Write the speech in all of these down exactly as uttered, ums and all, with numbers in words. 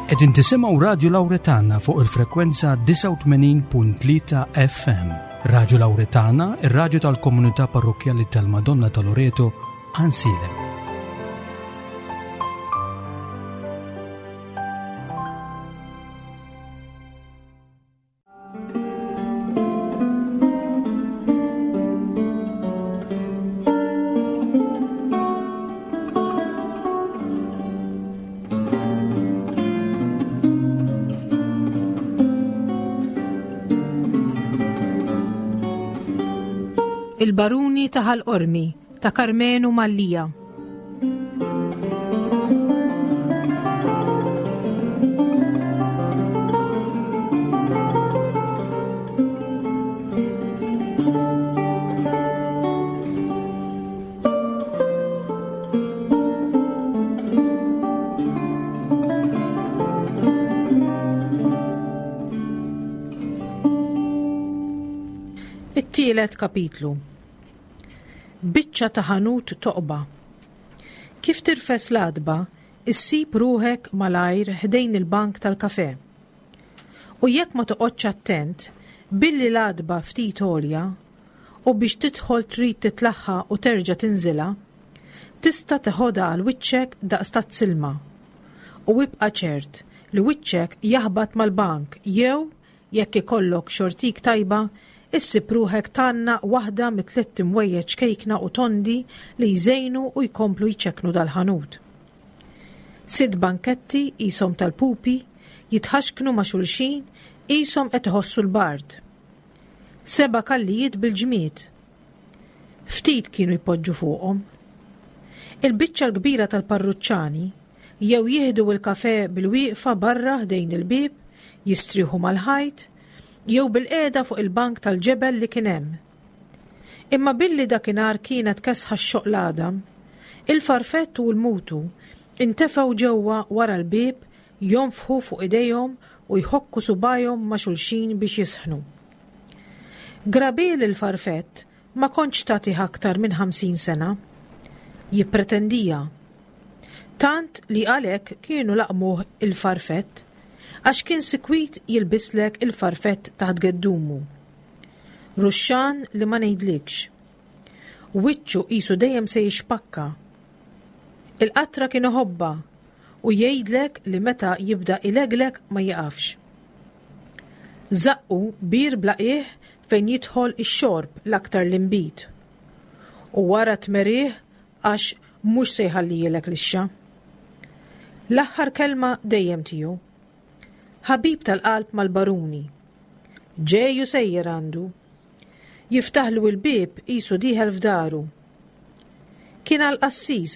Qegħdin tisimgħu Radio Lauretana fuq il-frekwenza disgħa u tmenin punt tlieta F M. Radio Lauretana, ir-radju tal-komunità parrokjali tal-Madonna ta' Loreto, Għajnsielem. Il-Baruni ta' Ħal Qormi ta' Karmenu Mallia. It-tielet kapitlu. Biċċa ta' ħanut toqba. Kif tirfes l-għatba, issib ruħek malajr ħdejn il-bank tal-kafe. U jekk ma toqgħodx attent, billi l-għatba ftit għolja, u biex tidħol trid titlaħħa u terġa' tinżilha, tista' teħodha għal wiċċek daqs tazza ilma. U ibqa' ċert li wiċċek jaħbat mal-bank jew, jekk ikollok xortik tajba, issib ruħek tgħannaq waħda mit-tliet imwejjed ċkejkna u tondi li jżejnu u jkomplu jċeknu dal-ħanut. Sitt banketti qishom tal-pupi jitħaxknu ma' xulxin qishom qed iħossu l-bard. Seba' kallijiet bil-ġmied. Ftit kienu jpoġġu fuqhom. Il-biċċa l-kbira tal-parruċċani jew jieħdu il-kafe bil-wieqfa barra ħdejn il-bib, jistrieħu mal-ħajt, jew bil-qiegħda fuq il-bank tal-ġebel li kien hemm. Imma billi dakinhar kienet kesħa x-xoqq l-għadam, il-farfett u l-mutu intefgħu ġewwa wara l-bib jonfħu fuq idejhom u jħokku subajhom ma' xulxin biex jisħnu. Grabil il-farfett ma kontx tagħtih aktar minn ħamsin sena. Jippretendija. Tant li għalhekk kienu laqmuh il-farfett, għax kien sikwit jilbislek il farfett taħt geddumu. Ruxxan li ma ngħidlikx. Wiċċu qisu dejjem se jixpakka. Il-qatra kien iħobbha u jgħidlek li meta jibda ileglek ma jiqafx. Zaqqu bir bla qiegħ fejn jidħol ix-xorb, l-aktar l-inbid. U wara tmerih għax mhux se jħallijilek lixxa. L-aħħar kelma dejjem tiegħu. Ħabib tal-qalb mal-baruni. Ġej u sejjer għandu. Jiftaħlu il-bib qisu dieħel f'daru. Kien għal qassis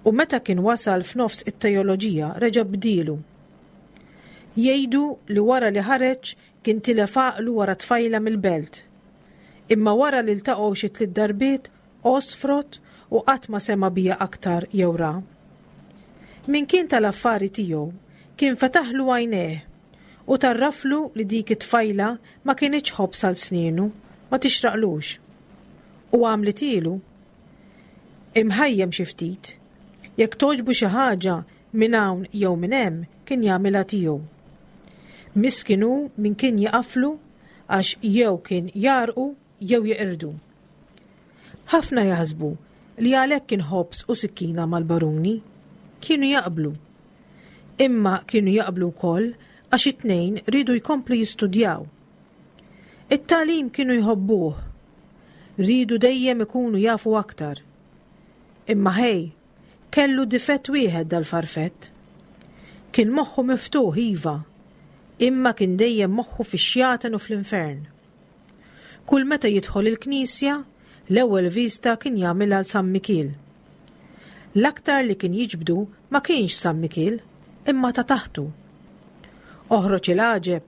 u meta kien wasal f'nofs it-teoloġija reġa' bdilu. Jgħidu li wara li ħareġ kien tilef għaqlu wara tfajla mill-belt. Imma wara li ltaqgħu xi tliet darbiet osfrot u qatt ma sema bija aktar jew ra. Min kien tal-affari tiegħu kien fetaħlu għajnejh u tarraflu li dik it-tfajla ma kinitx ħobż għal snienu, ma tixraqlux. U għamlitilu. Imħajjem xi ftit. Jekk togħġbu xi ħaġa minn hawn jew minn hemm kien jagħmilha tiegħu. Miskin hu min kien jaqaflu għax jew kien jarqu jew jeqirdu. Ħafna jaħsbu li għalhekk kien ħobż u sikkina mal-baruni. Kienu jaqblu. Imma kienu jaqblu wkoll għax it-tnejn riedu jkomplu jistudjaw. It-tagħlim kienu jħobbuh. Riedu dejjem ikunu jafu aktar. Imma ħej, kellu difett wieħed dal-farfett. Kien moħħu miftuħ iva, imma kien dejjem moħħu fix-xjaten u fl-infern. Kull meta jidħol il-knisja, l-ewwel vista kien jagħmilha l San Mikiel. L-aktar li kien jiġbdu ma kienx San Mikiel, imma ta' taħtu. Oħroġ il-għaġeb,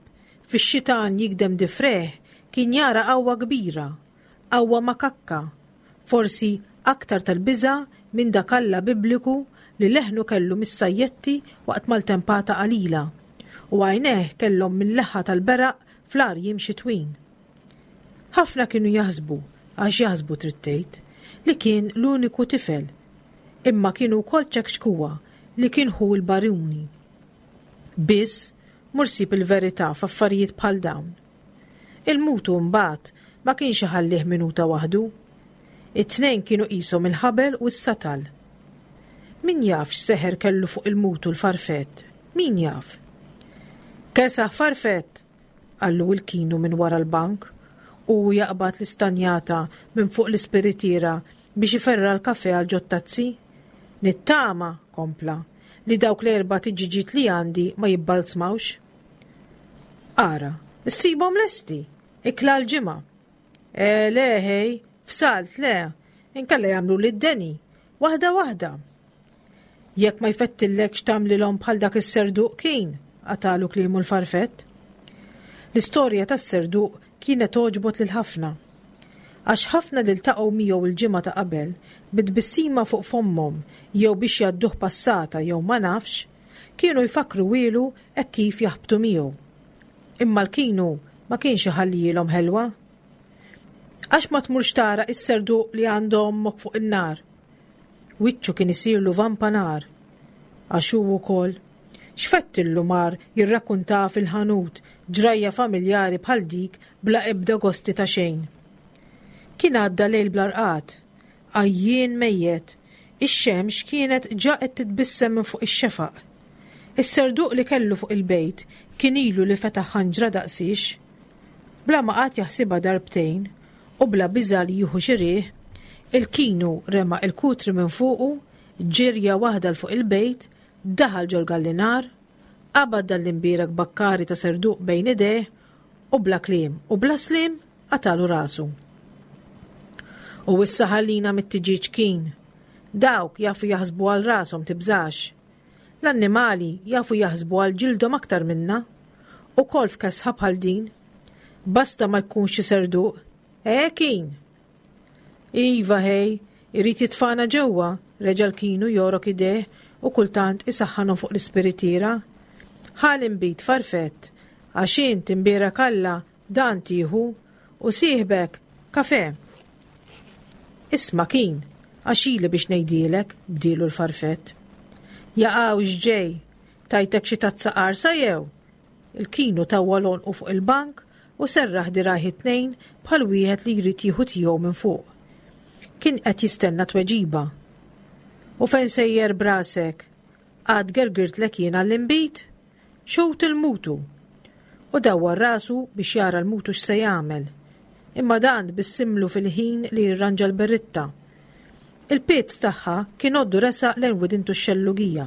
fix-xitan jigdem difrejh kien jara qawwa kbira, qawwa makakka, forsi aktar tal-biża' minn dak Alla bibliku li leħnu kellu mis-sajjetti waqt maltempata qalila u għajnejh kellhom mill-leħħa tal-beraq fl-arjiem xitwin. Ħafna kienu jaħsbu, għax jaħsbu trid tgħid, li kien l-uniku tifel, imma kienu wkoll ċekċkuwa li kien ħu l-baruni. Biss mur sib il-verità f'affarijiet bħal dawn. Il-mutu mbagħad ma kienx iħallih minuta waħdu. It-tnejn kienu qishom il-ħabel u s-satal. Min jaf x'seħer kellu fuq il-mutu l-Farfett? Min jaf? Kesaħ Farfett, qallu il-Kinu minn wara l-bank u jaqbad l-istanjata minn fuq l-ispiritiera biex iferra l-kafe għal ġottazzi. Nittama, kompla, li dawk l-erba' tiġiġiet li għandi ma jibbalzmawx. Ara, issibhom lesti, ikla l-ġimgħa. E, le, hej, f'salt, le, inkella jagħmlu lid-deni, waħda waħda. Jekk ma jfettillekx tagħmlilhom bħal dak is-serduq kien, qatalu kliemu l-Farfett. L-istorja tas-serduq kienet toġbot lil ħafna. Għax ħafna li ltaqgħu miegħu il-ġimgħa ta' qabel bit-tbissima fuq fommhom jew biex jgħadduh passata jew ma nafx, kienu jfakru wielu hekk kif jaħbtu miegħu. Imma l-Kinu ma kienx iħallielhom ħelwa. Għax ma tmurx tara is-serduq li għandu ommok fuq in-nar. Wiċċu kien isirlu vampa nar. Għax hu wkoll x'fettillu mar jirrakkunta fil-ħanut ġrajja familjari bħal dik bla ebda gosti ta' xejn. Kien għadda lejl bla rqad, għajjien mejjet, ix-xemx kienet ġa qed titbissem minn fuq ix-xefaq. Is-serduq li kellu fuq il-bejt kien ilu li fetaħ ħanġra daqsix. Bla ma qagħad jaħsibha darbtejn u bla biża' li jieħu xi riħ, il-Kinu rema il-kutri minn fuqu, ġirja waħda l fuq il-bejt, daħal ġol-gallinar, qabad dal-imbierek bakkari ta' serduq bejn idejh u bla kliem u bla slim qatalu rasu. U issa ħallina mit-tiġiġ kien. Dawk jafu jaħsbu għal rashom tibżax. L-annimali jafu jaħsbu għal ġildhom aktar minna. U kol f'kesħa bħal din. Basta ma jkunx xi serduq. Eh, kien. Iva hej, irid jitfana ġewwa, reġa' l-Kinu jorok idejh u kultant isaħħanhom fuq l-ispiritiera. Ħa l-inbid Farfett, għax int imbierek Alla dan tieħu u sieħbek kafe. Isma' kien, għax ili biex ngħidilek, bdielu l-Farfett. Jaqaw x'ġej, tajtek xi tazza qarsa jew? Il-Kinu tawwal għonqu fuq il-bank u serraħ dirgħajh it-tnejn bħal wieħed li jrid jieħu tiegħu minn fuq. Kien qed jistenna tweġiba. U fejn sejjer brasek? Għad gergirtlek jien għall-inbid? Xut il-mutu. U dawwar rasu biex jara l-mutu x'se jagħmel. Imma dan tbissimlu fil-ħin li jirranġa l-berritta. Il-pizz tagħha kien għoddu resaq lejn widintu x-xellugija.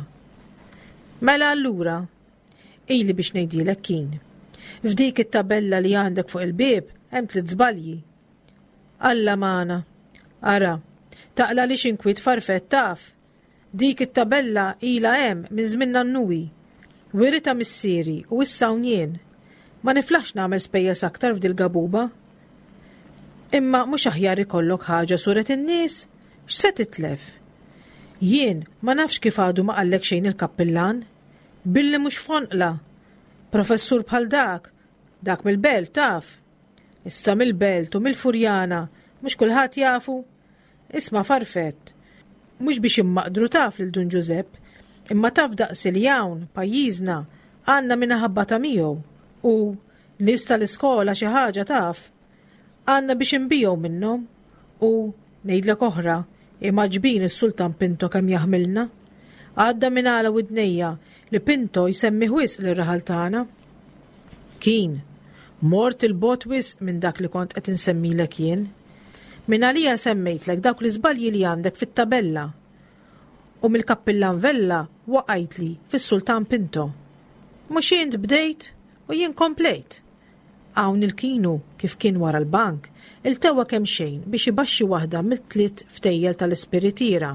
Mela allura, ili biex ngħidilek kien. F'dik it-tabella li għandek fuq il-bieb hemm tliet żbalji. Alla magħna. Ara, taqla li x'inkwiet Farfett taf. Dik it-tabella ilha hemm minn żmien nannuwi. Wirita missieri u issa hawn jien. Ma niflaħx nagħmel spejjeż aktar f'dil gabuba. Imma mhux aħjar ikollok ħaġa suret in-nies, x'se titlef? Jien ma nafx kif għadu ma qallek xejn il-kappillan. Billi mhux fonqla. Professur bħal dak, dak mill-belt taf. Issa mill-belt u mill-Furjana, mhux kulħadd jafu. Isma' Farfett, mhux biex immaqdru taf lil Dun Ġużepp, imma taf daqsi li hawn pajjiżna għandna min ħabbata miegħu u nies tal-iskola xi ħaġa taf. Għandna biex inbiegħu minnhom u ngħidlek oħra, imgħaġbin is-Sultan Pinto kemm jaħmilna. Għadda minn għala widnejja li Pinto jsemmi wisq lir-raħal tagħna. Kien, mort il-bot wisq minn dak li kont qed insemmilek jien. Minn għalija semmejtlek dawk l-iżbalji li għandek fit-tabella. U mill-kappillan Vella waqajtli fis-Sultan Pinto. Mhux int bdejt u jien komplejt. Hawn il-Kinu kif kien wara l-bank, iltewa kemm xejn biex ibaxxi waħda mill-tliet ftejjel tal-ispiritiera,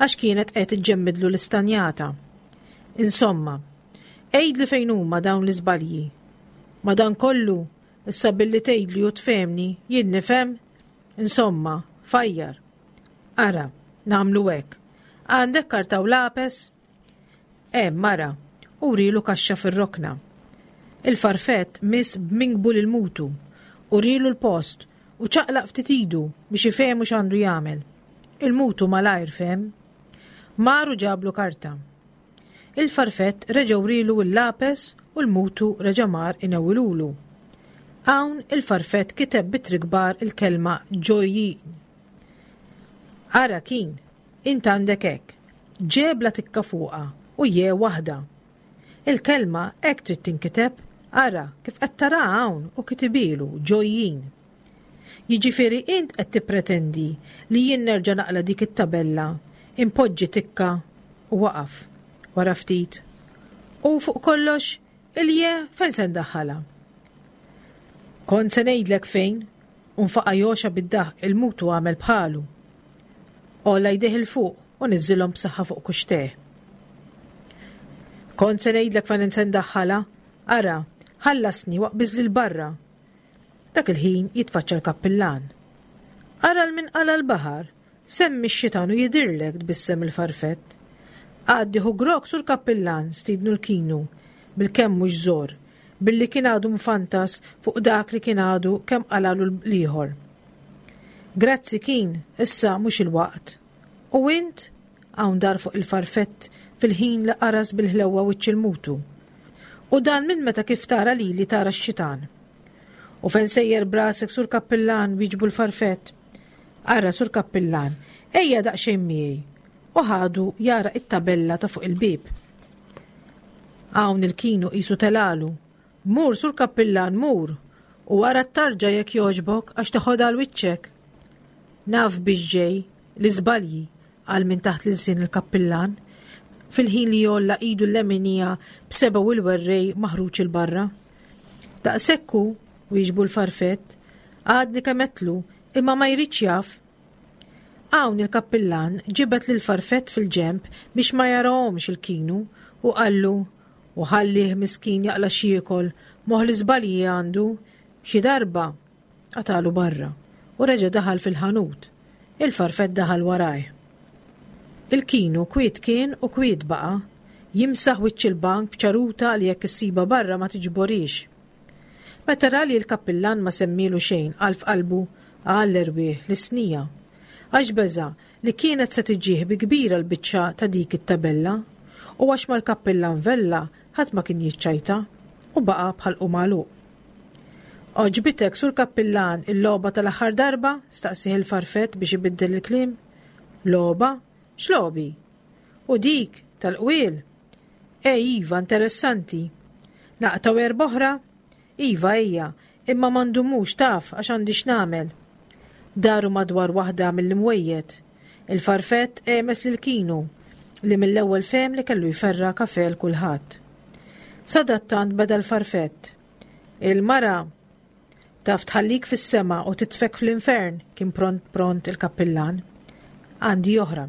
għax kienet qed iġġemmidlu l-istanjata. Insomma, għidli fejn huma dawn l-iżbalji. Madankollu, issa billi tgħidli u tfehmni, jien nifhem. Insomma, fajjar. Ara, nagħmlu hekk. Għandek karta u lapes? Hemm, mara, urilu kaxxa fir-rokna. Il-Farfett miss b'minkbu lil mutu, urilu l-post u ċaqlaq ftit idu biex ifehmu x'għandu jagħmel. Il-mutu malajr fehem. Mar u ġablu karta. Il-farfett reġa' wrielu l-lapes u l-mutu reġa' mar inewwilulu. Hawn il-farfett kiteb b'ittri kbar il-kelma ġojjin. Ara kien, int għandek hekk, ġe bla tikka fuqha u je waħda. Il-kelma hekk trid tinkiteb, ara kif qed taraha hawn u kitibilu ġojjin. Jiġifieri int qed tippretendi li jien nerġa' naqla' dik it-tabella, impoġġi tikka u waqaf wara ftit. U fuq kollox, il-je fejn se ndaħħalha? Kont se ngħidlek fejn, u nfaqa' joxa bid-daħk il-mutu għamel bħalu. Għolla jdejh 'il fuq u niżżilhom b'saħħa fuq kuxteh. Kont se ngħidlek fejn se ndaħħalha, ara, ħallasni waqbiżli 'l barra. Dak il-ħin jitfaċċa l-kappillan. Ara 'l min qala' l-baħar, semmi x-xitan u jidhirlek tbissem il-farfett. Għaddi ħu grokk sur kappillan stidnu l-kinu, bil-kemm mhux żor, billi kien għadu mfantas fuq dak li kien għadu kemm qalalu l-ieħor. Grazzi kien, issa mhux il-waqt. U int? Hawn dar fuq il-farfett fil-ħin li qaras bil-ħlewwa wiċċ il-mutu. U dan minn meta kif tara lili tara x-xitan. U fejn sejjer brasek sur kappillan wieġbu l-farfett. Ara sur kappillan, ejja daqsxejn miegħi. U ħadu jara it-tabella ta' fuq il-bieb. Hawn il-kinu qisu telalu. Mur sur kappillan, mur, u ara t-tarġa jekk jogħġbok għax teħodha għal wiċċek. Naf biex ġej, l-iżbalji, qal minn taħt l-ilsien il-kappillan, fil-ħin li jolla idu l-leminija b'sebgħu il-werrej maħruġ 'il barra. Daqshekk hu, wieġbu l-farfett, għadni kemm għedtlu, imma ma jridx jaf. Hawn il-kappillan ġibed lil farfett fil-ġenb biex ma jarahomx il-kinu u qallu u ħallih miskin jaqla' x'jiekol, moħħ l-iżbalji għandu, xi darba qatalu barra u reġa' daħal fil-ħanut. Il-farfett daħal warajh. Il-kinu kwiet kien u kwiet baqa', jimsaħ wiċċ il-bank b'ċaruta li jekk issiba barra ma tiġborix. Meta ra li l-kappillan ma semmilu xejn qal f'qalbu għall-erwieħ l-isnija. Għax beża' li kienet se tiġih bi kbira l-biċċa ta' dik it-tabella u għax mal-kappillan Vella ħadd ma kien jiċċajta u baqa' bħalqu magħluq. Għoġbitek sur kappillan il-logħba tal-aħħar darba? Staqsih il-farfett biex ibiddel il-kliem. Logħba? X'logħbi? U dik tal-qwiel? E iva, interessanti. Naqtgħu erba' oħra? Iva, ejja, imma ma ndumux taf għax għandi x'nagħmel. Daru madwar waħda mill-imwejjed. Il-farfett għemes lil Kinu li mill-ewwel fehem li kellu jferra kafe l kulħadd. Sadattant beda l-farfett. Il-mara taf tħallik fis-sema u titfek fl-infern, kien pront pront il-kappillan. Għandi oħra.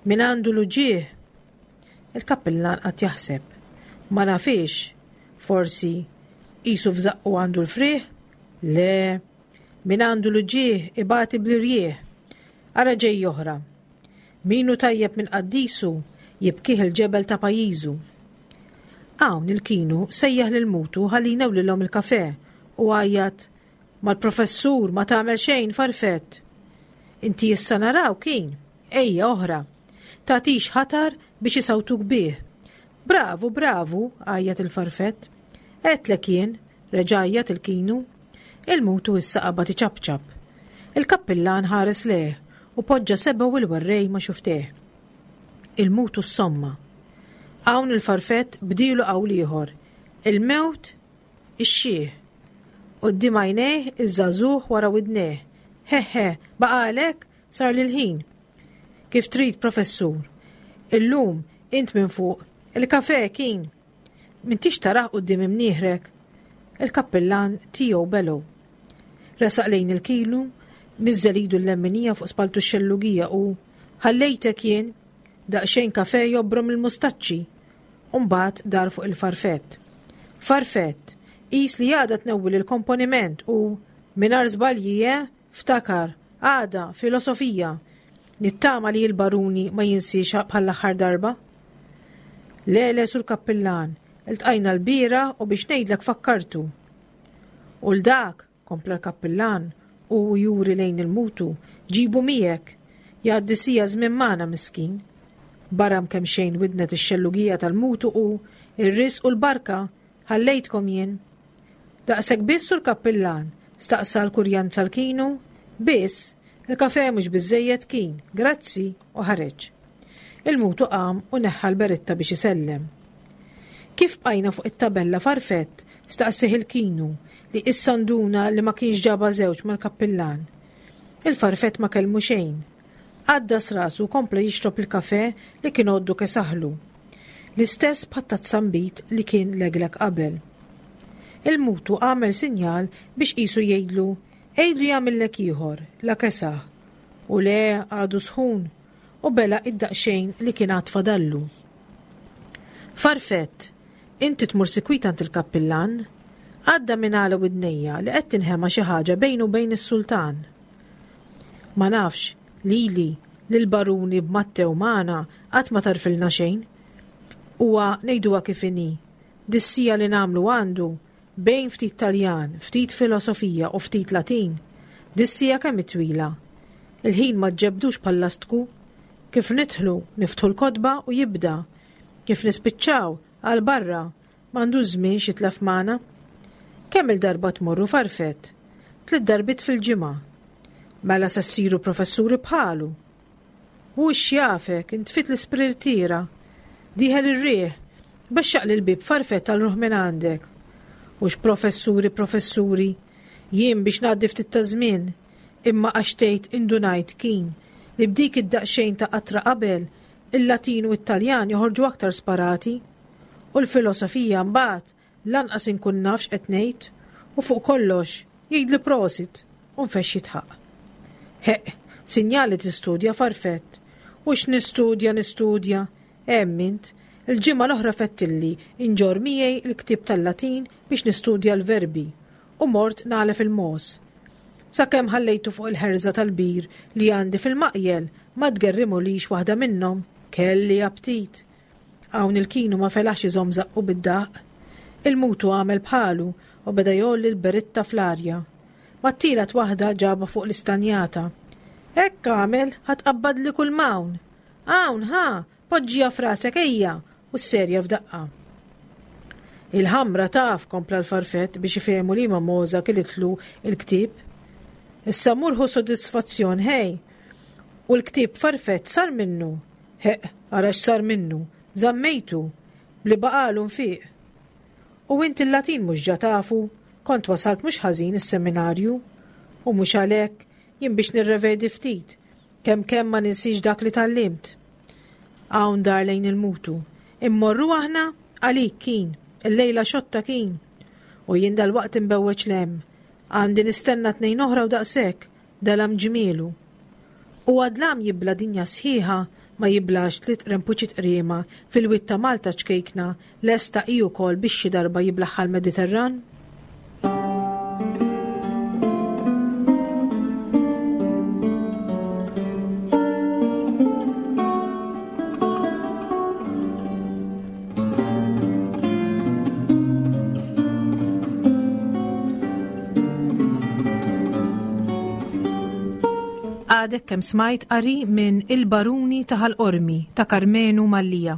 Min għandu l-uġigħ? Il-kappillan qatt jaħseb. Ma nafix, forsi qisu f'żaqqu għandu l-frieħ? Le, min għandu l-uġigħ ibati bl-irjieħ. Ara ġej oħra. Min hu tajjeb minn qaddisu jibkih il-ġebel ta' pajjiżu. Hawn il-kinu sejjaħ lil mutu ħalli jnewlilhom il-kafe u għajjat mal-professur ma tagħmel xejn farfett. Inti issa naraw kien, ejja oħra. Tagħtix ħatar biex isawtuk bih. Bravu, bravu, għajjat il-farfett. Għedtlek jien, reġa' għajjat il-kinu. Il-mutu issa qabad iċapċap. Il-kappillan ħares lejh u poġġa sebgħu il-werrej ma' xufteh. Il-mutu s-somma. Hawn il-farfett bdilu qawl ieħor. Il-mewt ix-xiħ. Quddiem għajnejh iż-żagħżugħ wara widnejh. He he, baqalek sar lil ħin. Kif trid, professur. Illum int minn fuq. Il-kafe kien. M'intix tarah quddiem imnieħrek. Il-kappillan tiegħu belu. Resaq lejn il-kilu, niżżel idu l-lemminija fuq spaltu x-xellugija u ħallejtek jien daqsxejn kafe jobrom il-mustaċċi. U mbagħad dar fuq il-farfett. Farfett, qis li għada tnewwil il-komponiment u mingħajr żbalji, eh, ftakar, għada filosofija. Nittama li l-baruni ma jinsiex bħall-aħħar darba. Le, le, sur kappillan, iltqajna l-bira u biex ngħidlek fakkartu. U l-dak, kompla l-kappillan, u juri lejn il-mutu, ġibu miegħek, jgħaddi sija żmien magħna miskin. Baram kemxejn widnet ix-xellugija tal-mutu u ir-risq u l-barka ħallejtkom jien. Daqshekk biss sur kappillan, staqsa l-kurjanza l-kinu, biss, il-kafe mhux biżejjed kien, grazzi u ħareġ. Il-mutu qam u neħħa l-beritta biex isellem. Kif bqajna fuq it-tabella farfett, staqsih il-kinu li issa nduna li ma kienx ġaba żewġ mal-kappillan. Il-farfett ma kellmu xejn. Għaddas rasu kompla jixrob il-kafe li kien għoddu kesaħlu. L-istess bħat-tazza nbid li kien leglek qabel. Il-mutu għamel sinjal biex qisu jgħidlu, għidlu jagħmillek ieħor, la kesaħ. U le għadu sħun, u bela id-daqxejn li kien għad fadallu. Farfett, inti tmur sikwit għand il-kappillan? Għadda minn għala widnejja li qed tinħema xi ħaġa bejnu u bejn is-sultan. Ma nafx, lili, lil baruni b'Mattew magħna qatt ma tarfilna xejn. Huwa ngħiduha kif inhi. Dissija li nagħmlu għandu bejn ftit Taljan, ftit filosofija u ftit Latin. Dissija kemm twila. Il-ħin ma ġebdux bħal-lastku. Kif nidħlu, niftħu l-kotba u jibda. Kif nispiċċaw, għal barra, m'għandux żmien xitlef magħna. Kemm il-darba tmorru farfett? Tliet darbiet fil-ġimgħa. Mela se ssiru professuri bħalu. U x'jafek, intfit l-isprirtiera. Dieħel ir-riħ, bexxaq l-bib farfett għal ruħ minn għandek. U x'professuri professuri, jien biex ngħaddi ftit ta' żmien, imma għax tgħid indunajt kien li b'dik id-daqsxejn ta' qatra qabel il-Latin u t-Taljan joħorġu aktar sparati. U l-filosofija mbagħad lanqas inkun nafx qed ngħid u fuq kollox jgħidli prosit u nfex jitħaq. Heq, sinjali tistudja farfett. U x'nistudja nistudja, hemm int, il-ġimgħa l-oħra fettilli inġor miegħi il-ktieb tal-Latin biex nistudja l-verbi u mort nagħlef il-mos. Sakemm ħallejtu fuq il-ħerża tal-bir li għandi fil-maqjel ma tgerrimulix waħda minnhom, kelli aptit. Hawn il-kinu ma felaħx iżomm żaqqu bid-daq. Il-mutu għamel bħalu u beda jgħolli l-beritta fl-arja. Mat-tielet waħda ġaba fuq l-istanjata. Hekk għamel ħa tqabbadli kull m'hawn. Hawn, ħa, poġġija frasek ejja u s-serja f'daqqa. Il-ħamra taf, kompla l-farfett biex ifehmu li ma moza kilitlu il-ktieb. Issa murħu sodisfazzjon, hej. U l-ktieb farfett sar minnu. Heq, ara x'sar minnu. Żammejtu, li baqalu nfiq. U inti l-Latin mhux ġa tafu, kont wasalt mhux ħażin is-seminarju. U mhux għalhekk jien biex nirrevedi ftit, kemm kemm ma ninsiex dak li tgħallimt. Hawn dar lejn il-mutu. Immorru aħna għalik kien, il-lejla xotta kien. U jien dal-waqt imbewweġ lem. Għandi nistenna tnejn oħra u daqshekk, dalam ġmielu. U għadlam jibla dinja sħiħa ma jiblax tliet rempuċi tqriema fil-wied ta' Malta ċkejkna lesta hi wkoll biex xi darba jiblaħħa l-Mediterran? Għadek kemm smajt qari minn Il-Baruni ta' Ħal Qormi ta' Karmenu Mallia.